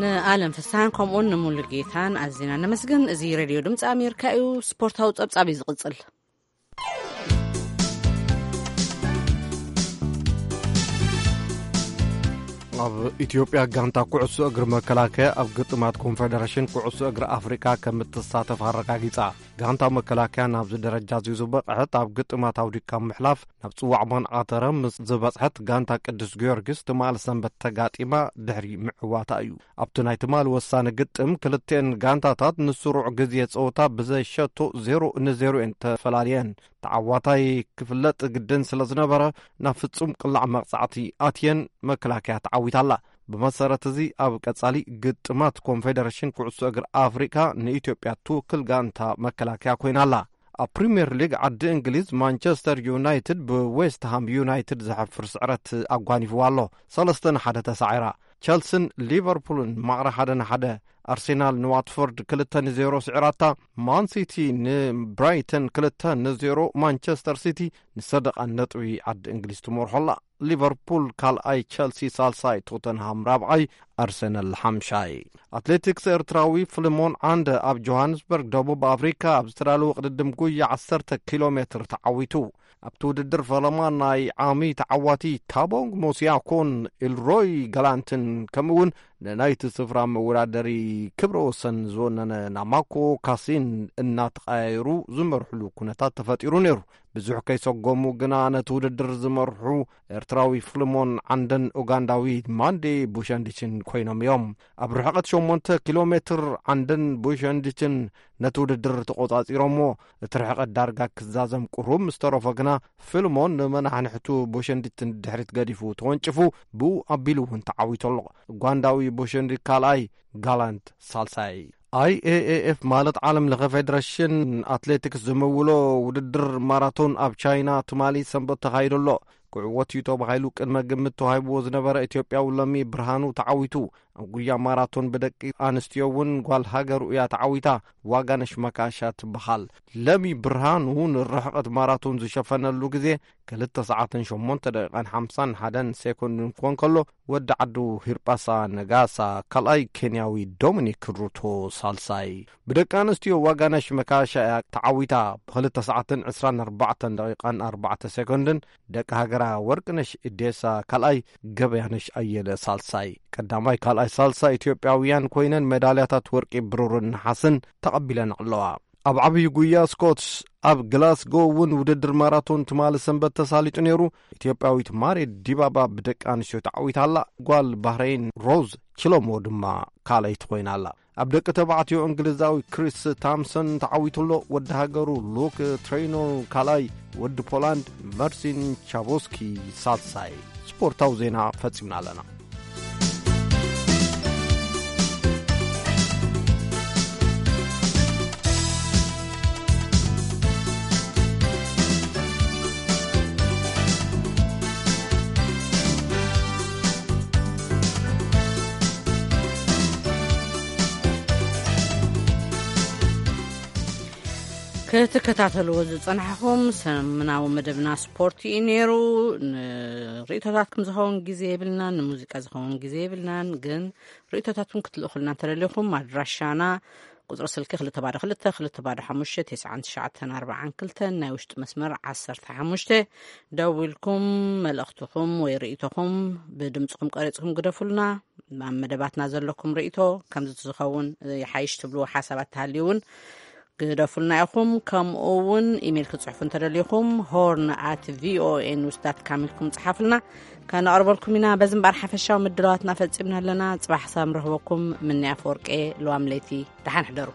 ንኣለም ፍስሓን ከምኡውን ንሙሉ ጌታን ኣዝና ነመስግን። እዚ ሬድዮ ድምፂ ኣሜሪካ እዩ። ስፖርታዊ ጸብጻብ እዩ ዝቕጽል። ኣብ ኢትዮጵያ ጋንታ ኩዕሶ እግሪ መከላከያ ኣብ ግጥማት ኮንፌደሬሽን ኩዕሶ እግሪ ኣፍሪካ ከም እትሳተፍ ኣረጋጊጻ። ጋንታ መከላከያ ናብዚ ደረጃ እዚ ዝበቕዐት ኣብ ግጥማት ኣውዲካ ምሕላፍ ናብ ጽዋዕ ማን ኣተረ ምስ ዝበጽሐት ጋንታ ቅዱስ ጊዮርጊስ ትማል ሰንበት ተጋጢማ ድሕሪ ምዕዋታ እዩ። ኣብቲ ናይ ትማል ወሳኒ ግጥም ክልቲኤን ጋንታታት ንስሩዕ ግዜ ጸወታ ብዘይ ሸቶ ዜሮ ንዜሮ እየን ተፈላልየን። ተዓዋታይ ክፍለጥ ግድን ስለ ዝነበረ ናብ ፍጹም ቅላዕ መቕጻዕቲ ኣትየን መከላከያ ተዓዊታላ። ብመሰረት እዚ ኣብ ቀጻሊ ግጥማት ኮንፌደሬሽን ኩዕሶ እግሪ ኣፍሪቃ ንኢትዮጵያ ትውክል ጋንታ መከላከያ ኮይና ኣላ። ኣብ ፕሪምየር ሊግ ዓዲ እንግሊዝ ማንቸስተር ዩናይትድ ብዌስትሃም ዩናይትድ ዘሕፍር ስዕረት ኣጓኒፍዋ ኣሎ። ሰለስተ ንሓደ ተሳዒራ። ቸልስን ሊቨርፑልን ማዕረ ሓደ ንሓደ፣ ኣርሴናል ንዋትፎርድ ክልተ ንዜሮ ስዒራታ። ማን ሲቲ ንብራይተን ክልተ ንዜሮ፣ ማንቸስተር ሲቲ ንሰደቓ ነጥቢ ዓዲ እንግሊዝ ትመርሖ ኣላ። ሊቨርፑል ካልኣይ፣ ቸልሲ ሳልሳይ፣ ቶተንሃም ራብዓይ፣ ኣርሰናል ሓምሻይ። ኣትሌቲክስ ኤርትራዊ ፍልሞን ዓንደ ኣብ ጆሃንስበርግ ደቡብ ኣፍሪካ ኣብ ዝተዳለወ ቅድድም ጉያ ዓሰርተ ኪሎ ሜትር ተዓዊቱ። ኣብቲ ውድድር ፈለማ ናይ ዓሚ ተዓዋቲ ታቦንግ ሞሲያኮን ኢልሮይ ጋላንትን ከምኡ እውን ንናይቲ ስፍራ መወዳደሪ ክብረ ወሰን ዝወነነ ናማኮ ካሲን እናተቐያየሩ ዝመርሕሉ ኩነታት ተፈጢሩ ነይሩ። ብዙሕ ከይሰጎሙ ግና ነቲ ውድድር ዝመርሑ ኤርትራዊ ፍልሞን ዓንደን ኡጋንዳዊ ማንዴ ቡሸንዲችን ኮይኖም እዮም። ኣብ ርሕቐት ሸሞንተ ኪሎ ሜትር ዓንደን ቡሸንዲችን ነቲ ውድድር ተቖጻጺሮሞ። እቲ ርሕቐት ዳርጋ ክዛዘም ቅሩብ ምስ ተረፎ ግና ፍልሞን ንመናሕንሕቱ ቡሸንዲት ንድሕሪት ገዲፉ ተወንጭፉ ብኡ ኣቢሉ እውን ተዓዊቱ ኣሎ። ኡጋንዳዊ ቡሸንዲት ካልኣይ፣ ጋላንት ሳልሳይ። ኣይኤኤኤፍ ማለት ዓለም ለኸ ፌደሬሽን ኣትሌቲክስ ዝምውሎ ውድድር ማራቶን ኣብ ቻይና ትማሊ ሰንበት ተኻይዱ ኣሎ። ክዕወት እዩ ተባሂሉ ቅድመ ግምት ተዋሂብዎ ዝነበረ ኢትዮጵያዊ ለሚ ብርሃኑ ተዓዊቱ። ኣብ ጉያ ማራቶን ብደቂ ኣንስትዮ እውን ጓል ሃገሩ እያ ተዓዊታ። ዋጋነሽ መካሻ ትበሃል። ለሚ ብርሃኑ ንርሕቐት ማራቶን ዝሸፈነሉ ግዜ ክልተ ሰዓትን ሸሞንተ ደቂቓን ሓምሳን ሓደን ሴኮንድን ክኾን ከሎ፣ ወዲ ዓዱ ሂርጳሳ ነጋሳ ካልኣይ፣ ኬንያዊ ዶሚኒክ ሩቶ ሳልሳይ። ብደቂ ኣንስትዮ ዋጋነሽ መካሻ እያ ተዓዊታ። ብክልተ ሰዓትን ዕስራን ኣርባዕተን ደቂቓን ኣርባዕተ ሴኮንድን ደቂ ሃገራ ወርቅነሽ እዴሳ ካልኣይ፣ ገበያነሽ ኣየለ ሳልሳይ። ቀዳማይ፣ ካልኣይ፣ ሳልሳይ ኢትዮጵያውያን ኮይነን ሜዳልያታት ወርቂ፣ ብሩርን ነሓስን ተቐቢለን ኣለዋ። ኣብ ዓብዪ ጉያ ስኮትስ ኣብ ግላስጎ እውን ውድድር ማራቶን ትማሊ ሰንበት ተሳሊጡ ነይሩ። ኢትዮጵያዊት ማሬ ዲባባ ብደቂ ኣንስትዮ ተዓዊታ ኣላ። ጓል ባህረይን ሮዝ ችሎሞ ድማ ካልኣይቲ ኮይና ኣላ። ኣብ ደቂ ተባዕትዮ እንግሊዛዊ ክሪስ ታምሰን ተዓዊቱ ኣሎ። ወዲ ሃገሩ ሉክ ትሬይኖር ካልኣይ፣ ወዲ ፖላንድ መርሲን ቻቦስኪ ሳልሳይ። ስፖርታዊ ዜና ፈጺምና ኣለና። ክትከታተልዎ ዝጸናሕኹም ሰሙናዊ መደብና ስፖርት እዩ ነይሩ። ንርእይቶታትኩም ዝኸውን ግዜ የብልናን፣ ንሙዚቃ ዝኸውን ግዜ የብልናን። ግን ርእይቶታትኩም ክትልእኹልና እንተደሊኹም ኣድራሻና ቁጽሪ ስልኪ ክልተ ባዶ ክልተ፣ ክልተ ባዶ ሓሙሽተ፣ ተስዓን ትሽዓተን ኣርባዓን ክልተን፣ ናይ ውሽጢ መስመር ዓሰርተ ሓሙሽተ፣ ደዊልኩም መልእኽትኹም ወይ ርእይቶኹም ብድምጽኹም ቀሪጽኩም ግደፉልና። ኣብ መደባትና ዘለኩም ርእይቶ፣ ከምዚ ዝኸውን ይሓይሽ ትብልዎ ሓሳባት ተሃልዩ እውን ግደፉልና ኢኹም። ከምኡ እውን ኢሜይል ክጽሕፉ እንተደሊኹም፣ ሆርን ኣት ቪኦኤ ኒውስ ዳት ካም ኢልኩም ጽሓፉልና፣ ከነቕርበልኩም ኢና። በዚ እምበኣር ሓፈሻዊ ምድላዋትና ፈጺምና ኣለና። ጽባሕ ሳም ረኽበኩም። ምንያ ኣፈወርቄ፣ ለዋም ለይቲ ደሓን ሕደሩ።